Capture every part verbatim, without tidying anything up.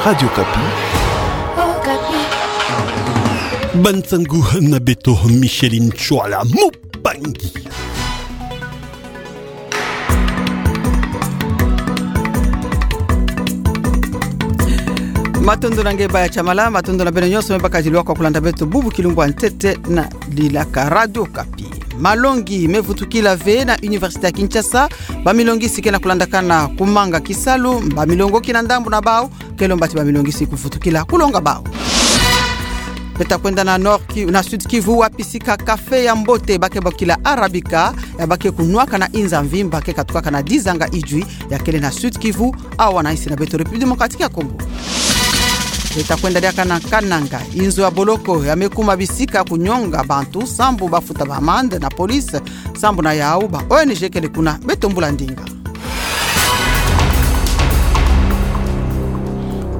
Radio Okapi. Okapi. Ba nsangu na beto, Micheline Tshuala Mupangi. Matondo na nge Baya Tshamala, matondo na beno nyonso me bakadi lwaka kulanda beto bubu kilumbu ya ntete na dilaka Radio Okapi. Malongi me vutukila ve na Université ya Kinshasa, bamilongisi ke na kulandakana kumanga kisalu, bamilongoki na ndambu na bau ke lomba ti bamilongisi kuvutukila kulonga bau. Beta kwenda na Nord Ki-, na Sud Kivu, wapi sika café ya mbote ba ke bokila Arabica, ya ba ke kunwaka na inza mvimba ke katukaka na dizanga idjwi, ya kele na Sud Kivu, awa na insi na beto République Démocratique ya Congo. Beta kwenda diaka na Kananga, inzo ya boloko ya me kuma bisika kunyonga bantu, sambu ba futa ba amende na police, sambu na yau ba O N G kele kuna, beto mbula ndinga.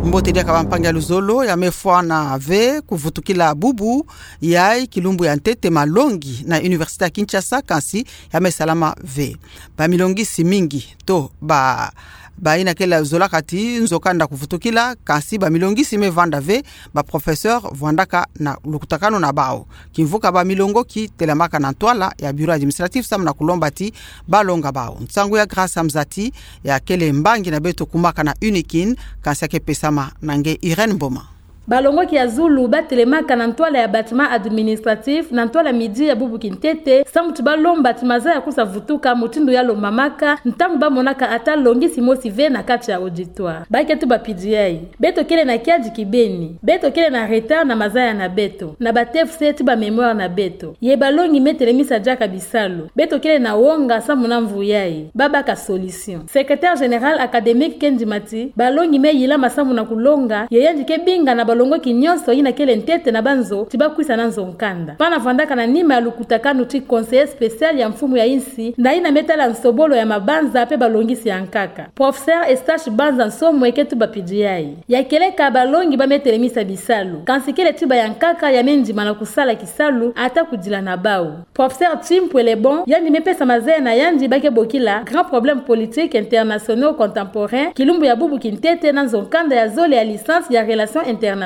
Mbote diaka bampangi ya luzolo, ya me fwana ve kuvutukila bubu yai kilumbu ya ntete malongi na Université ya Kinshasa, kansi ya me salama ve. Bamilongisi mingi to ba, bayina kele zola kati nzo kanda kuvutukila, kansi bamilongisi me vanda ve, ba professeur vwandaka na lukutakanu na bau. Kimvuka bamilongoki telamaka na ntwala ya bureau administratif samu na kulomba ti balonga bau. Nsangu ya Grâce Amzati, ya kele mbangi na beto kumaka na UNIKIN, kansi ya ke pesama na nge Irène Mboma. Balongoki ya zulu ba telemaka na ntwala ya bâtiment administratif, na ntwala midi ya bubu kintete, samu ti balomba ti maza ya kusa vutuka mutindu ya lombamaka, ntangu ba monaka ata longisi mosi ve na kati ya auditoire. Ba ke tuba pidiyai: beto kele na kiadi kibeni, beto kele na retard na mazaya na beto, na ba T F C ti ba mémoire na beto. Ye balongi me telemisa diaka bisalu. Beto kele na wonga samu na mvu yai. Ba baka solution. Secrétaire général académique ke ndima ti balongi me yilama samu na kulonga, ye yandi ke binga na balongoki nyonso yina kele ntete na banzo, ti ba kwisa na nzo nkanda. Pana vwandaka na nima ya lukutakanu ti conseiller spécial ya mfumu ya insi, na yina me tala nsobolo ya mabanza pe balongisi ya nkaka. Professeur Eustache Banza Nsomwe ke tuba pidiyai: ya kele ka balongi ba me telemisa bisalu. Kansi kele ti ba ya nkaka ya me ndima na kusala kisalu, ata kudila na bau. Professeur Chimpwe Lebon, yandi me pesa mazaya na yandi ba ke bokila grands problèmes politiques internationaux contemporains, kilumbu ya bubu kintete na nzo nkanda ya zole ya licence ya relations internationales.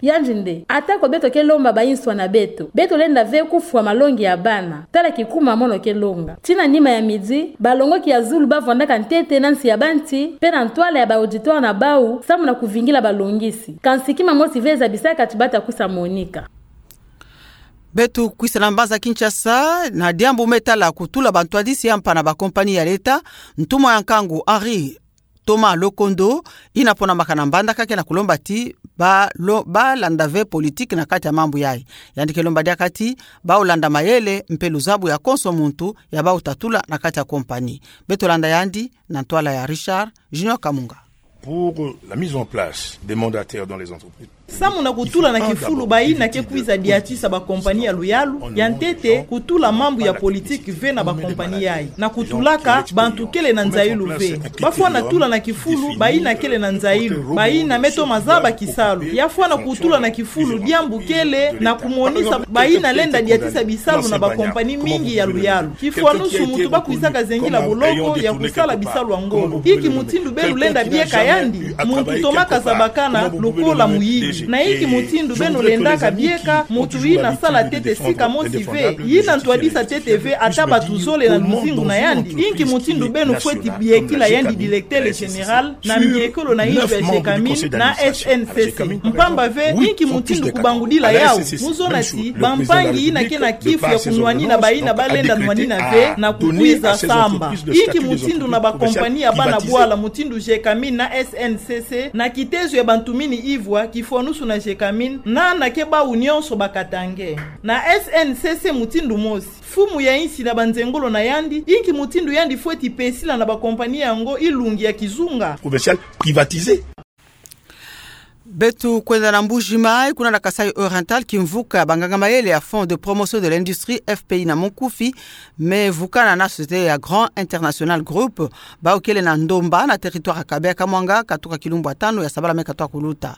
Yandi nde: ata ko beto ke lomba ba inswa na beto, beto lenda ve kufwa malongi ya bana. Tala kikuma mono ke longa. Ti na nima ya midi, balongoki ya zulu ba vwandaka ntete na nsi ya banti, pe na ntwala ya ba auditoire na bau, samu na kuvingila balongisi. Kansi kima mosi ve zabisaka ti ba ta kusa monika. Beto kwisa na mbanza Kinshasa, na diambu me tala kutula bantwadisi ya mpa na ba compagnie ya leta, ntumwa ya nkangu Henri Thomas Lokondo, yina ponamaka na mbandaka ke na kulomba ti ba lo-, ba landa ve politique na kati ya mambu yai. Yandi ke lomba diaka ti bau landa mayele mpe luzabu ya konso muntu ya bau ta tula na kati ya compagnie. Beto landa yandi na ntwala ya Richard Junior Kamunga. Pour la mise en place des mandataires dans les entreprises. Samu na kutula na kifulu bayina ke kwiza diatisa ba compagnie ya luyalu, ya ntete kutula mambu ya politique ve na ba compagnie yai. Na kutulaka bantu kele na nzayilu ve. Ba fwana tula na kifulu bayina kele na nzayilu, bayina me toma zaba kisalu. Ya fwana kutula na kifulu diambu kele na kumonisa bayina lenda diatisa bisalu na ba compagnie mingi ya luyalu. Kifwanusu muntu ba kwizaka zengila boloko ya kusala bisalu ya ngolo. Inki mutindu beno lenda bieka yandi? Muntu tomaka zabakana lokola muyini. Na inki mutindu beno lendaka bieka muntu yina sala ntete sika mosi ve, yina ntwadisa ntete ve ata bantu zole na luzingu na yandi? Inki mutindu beno fweti biekila yandi directeur général na mbiekolo na inzo ya Gécamines na S N C C? Mpamba ve, inki mutindu kubangudila yau? Mu zona ti bampangi yina ke na kifu ya kunwanina bayina ba lenda nwanina ve na kukwiza samba. Inki mutindu na ba compagnie ya bana bwala mutindu Gécamines na S N C C, na kitezo ya bantumini ivwa, kifwanusu na Gécamines, na na ke bau nyonso ba Katangais na S N C C mutindu mosi? Mfumu ya insi na banzengolo na yandi, inki mutindu yandi fweti pesila na ba compagnie yango ilungi ya kizunga? Commercial privatisé. Beto kwenda na Mbuji-Mayi, kuna na Kasaï Oriental, kimvuka banganga mayele ya Fonds de Promotion de l'Industrie, F P I na monkufi, me vukana na société ya Grand International Group, bau kele na ndomba na territoire ya Kabeya-Kamwanga, katuka kilumbu ya tanu ya sabala me katuka kuluta.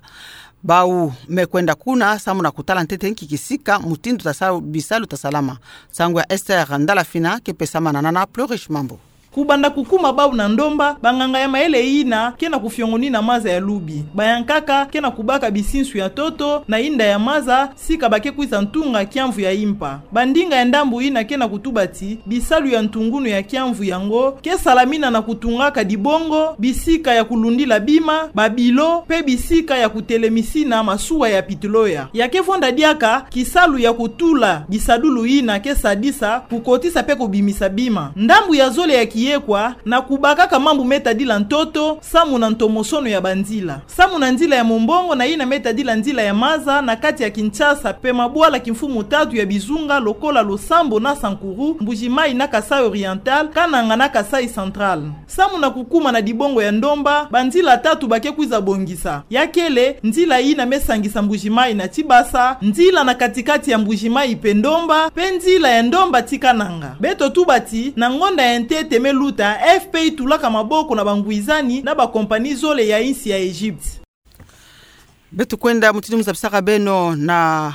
Bau me kwenda kuna samu na kutala ntete nki kisika mutindu ta sa-, bisalu ta salama. Nsangu ya Esther Ndalafina ke pesamana na Nana Plurish Mambo. Kubanda kukuma bau na ndomba, banganga ya mayele yina ke na kufiongonina maza ya lubi. Bayankaka ke na kubaka bisinsu ya ntoto na inda ya maza, sika ba ke kwiza ntunga kiamvu ya impa. Bandinga ya ndambu yina ke na kutuba ti bisalu ya ntungunu ya kiamvu yango ke salamina na kutungaka dibongo, bisika ya kulundila bima, babilo, mpe bisika ya kutelemisina masuwa ya pitloya. Ya ke vonda diaka kisalu ya kutula bisadulu yina ke sadisa, kukotisa mpe kubimisa bima. Ndambu ya zole ya kiyekwa na kubakaka mambu me tadila ntoto, samu na ntomosono ya banzila. Samu na nzila ya mombongo na yina me tadila nzila ya maza na kati ya Kinshasa mpe mabwala kimfumu tatu ya bizunga lokola Losambo na Sankuru, Mbuji-Mayi na Kasaï Oriental, Kananga na Kasaï Central. Samu na kukuma na dibongo ya ndomba, banzila tatu ba ke kwiza bongisa. Ya kele, nzila yina me sangisa Mbuji-Mayi na Tshibasa, nzila na kati-kati ya Mbuji-Mayi mpe ndomba, mpe nzila ya ndomba ti Kananga. Beto tuba ti, na ngonda ya ntete me luta, A F P itulaka maboko na bangwizani na bakompani zole ya insi ya Egypte. Beto kwenda mutindu mu zabisaka beno na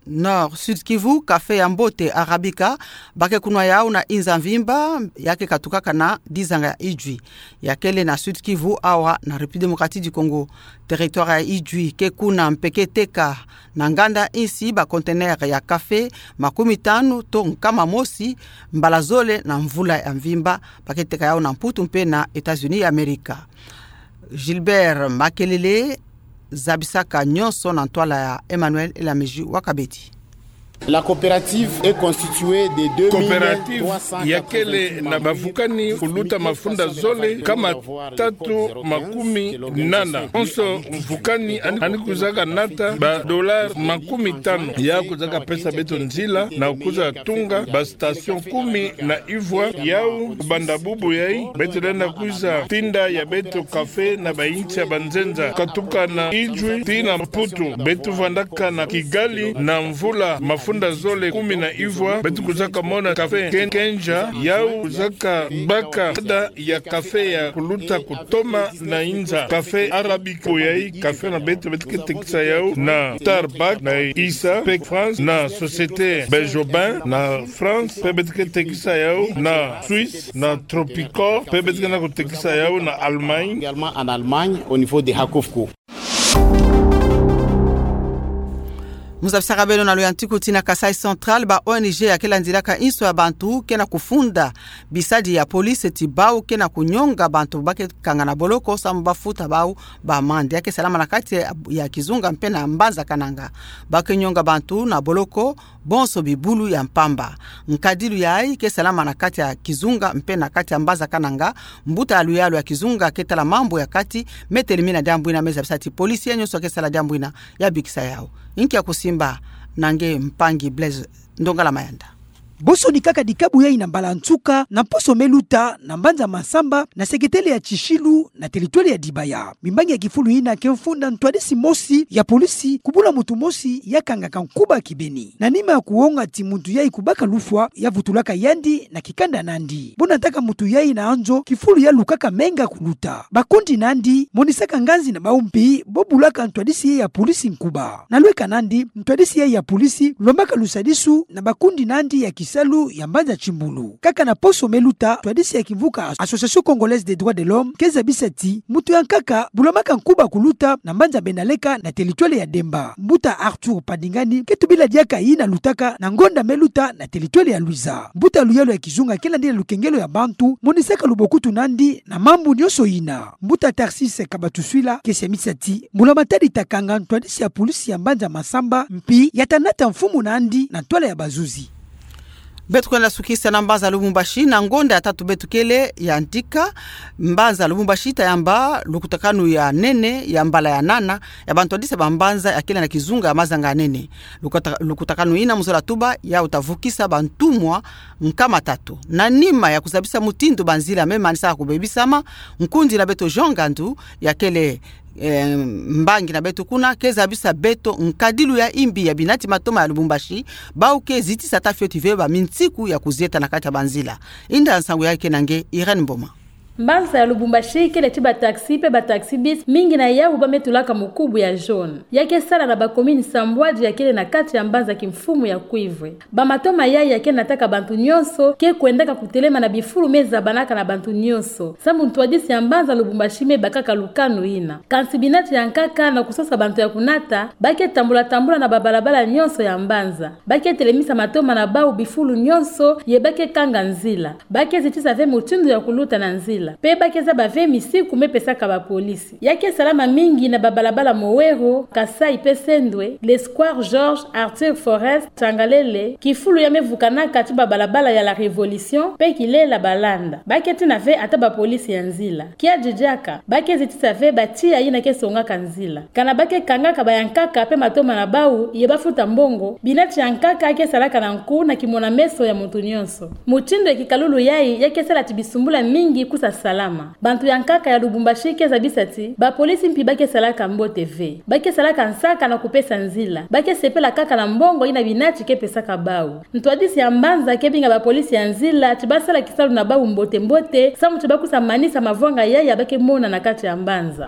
Nord Sud Kivu, café ya mbote Arabica, ba ke kunwa yau na inza mvimba, ya ke katukaka na dizanga ya Idjwi. Ya kele na Sud Kivu, awa na République Démocratique du Congo. Territoire ya Idjwi ke kuna mpe ke teka na nganda insi ba conteneur ya café makumi tanu to nkama mosi mbala zole na mvula ya mvimba, ba ke teka yau na Mputu mpe na États-Unis ya Amerika. Gilbert Makelele zabisaka nyonso na ntwala ya Emmanuel Elamiji wa Kabedi. La coopérative est constituée de deux mille trois cent quatre-vingt-dix membres. Coopérative ya kele na bavukani kuluta mafunda zole nkama tatu makumi nana. Onso mvukani ani, ani kwizaka nata ba dollars makumi tanu. Ya kwizaka pesa beto nzila na kwiza tunga ba station kumi na ivwa. Yau kubanda bubu yai, beto lenda kwiza tinda ya beto café na bainsi ya banzenza. Katuka na Idjwi tii na Mputu, beto vandaka na Kigali na mvula mafunda zole kumi na ivwa, beto kwizaka mona café Ken-, Kenja, yau kwizaka baka ada ya café ya kuluta kutoma na inza. Café Arabica yai, café na beto, beto ke tekisa yau na Starbucks na Isa, mpe France, na Société Benjobin na France, mpe beto ke tekisa yau na Suisse, na Tropicorp, mpe beto ke na kutekisa yau na Allemagne. Également en Allemagne, au niveau de Hakofko. Mu zabisaka beno na luyantiku ti na Kasaï Central, ba O N G ya ke landilaka inso ya bantu ke na kufunda bisadi ya police ti bau ke na kunyonga bantu ba ke kanga na boloko samu ba futa bau ba amende. Ya ke salama na kati ya, ya Kizunga mpe na mbanza Kananga. Ba ke nyonga bantu na boloko bonso bibulu ya mpamba. Nkadilu yai ke salama na kati ya Kizunga mpe na kati ya mbanza Kananga. Mbuta ya luyalu ya Kizunga ke tala mambu ya kati me telemina diambu ina, me zabisa ti police ya nyonso ke sala diambu ina ya bikisa yau. Inki ya kusimba na nge mpangi Blaise Ndongala Mayanda. Bosonikaka dikabu yai na mbala nsuka na mposo me luta na mbanza Massamba na seketele ya Tishilu na territoire ya Dibaya. Mimbangi ya kifulu ina ke mfunda ntwadisi mosi ya police kubula muntu mosi ya kangaka nkuba kibeni. Na nima ya kuwonga ti muntu yai kubaka lufwa, ya vutulaka yandi na kikanda nandi. Bo nataka muntu yai na nzo, kifulu ya lukaka menga kuluta. Bakundi nandi monisaka nganzi na bau mpi bo bulaka ntwadisi yai ya police nkuba. Na lweka nandi, ntwadisi yai ya police lombaka lusadisu na bakundi nandi ya kisalu ya mbanza Timbulu. Kaka na poso me luta, ntwadisi ya kimvuka Association Congolaise des Droits de l'Homme ke zabisa ti muntu ya nkaka bu lomaka nkuba kuluta na mbanza Benaleka na territoire ya Demba. Mbuta Arthur Padingani ke tubila diaka yina lutaka na ngonda me luta na territoire ya Luiza. Mbuta luyalu ya kizunga ke landila lukengelo ya bantu monisaka lubokutu nandi na mambu nyonso yina. Mbuta Tharcisse Kabatuswila ke siamisa ti mbula matadi ta kanga ntwadisi ya police ya mbanza Massamba, mpi ya ta nata mfumu nandi na ntwala ya bazuzi. Beto kwenda sukisa na mbanza Lubumbashi, na ngonda ya tatu beto kele ya ntika. Mbanza Lubumbashi ta yamba lukutakanu ya nene ya mbala ya nana ya bantwadisi ya bambanza ya kele na kizunga ya mazanga ya nene. Lukuta-, lukutakanu yina mu zola tuba yau ta vukisa bantumwa nkama tatu. Na nima ya kuzabisa mutindu banzila me manisaka kubebisama, nkundi na beto Jean Ngandu ya kele, eh, mbangi na beto kuna, ke zabisa beto nkadilu ya imbi ya binati matoma ya Lubumbashi, bau ke zitisa ta fioti ve ba minsiku ya kuzieta na kati ya banzila. Inda nsangu ya ke na nge Irène Mboma. Mbanza ya Lubumbashi kele ti ba taxi pe ba taxi-bis, mingi na yawu ba me tulaka mukubu ya jaune. Ya ke sala na ba commune sambwadi ya kele na kati ya mbanza kimfumu ya Cuivre. Ba matoma yayi ya ke nataka bantu nyonso ke kwendaka kutelema na bifulu me zabanaka na bantu nyonso, sambu ntwadisi ya mbanza Lubumbashi me bakaka lukanu yina. Kansi binati ya nkaka na kusosa bantu ya kunata, ba ke tambula-tambula na ba balabala nyonso ya mbanza. Ba ke telemisa matoma na bawu bifulu nyonso, ye ba ke kanga nzila. Ba ke zitisa ve mutindu ya kuluta na nzila. Pe ba ke zaba ve misiku me pesaka ba polisi. Ya ke salama mingi na ba balabala Mowero, Kasaï pe Sendwe, le Square Georges, Arthur Forest, Tchangalele, kifulu ya me vukanaka ti ba balabala ya la Révolution, pe Kilela Balanda. Ba ke tina ve ata ba polisi ya nzila. Kiadi diaka, ba ke zitisa ve ba tiya yina ke songaka nzila. Kana ba ke kangaka ba ya nkaka pe matoma na bawu, ye ba futa mbongo, binati ya nkaka ke salaka na nku na kimona-meso ya muntu nyonso. Mutindu ya kikalulu yayi ya ke sala ti bisumbula mingi kusa salama. Bantu ya nkaka ya Lubumbashi ke zabisa ti ba polisi mpi ba ke salaka mbote ve. Ba ke salaka nsaka na kupesa nzila. Ba ke sepela kaka na mbongo yina binati ke pesaka bawu. Ntwadisi ya mbanza ke binga ba polisi ya nzila ti ba sala kisalu na bawu mbote-mbote, sambu ti ba kusa manisa mavwanga yayi ya ba ke mona na kati ya mbanza.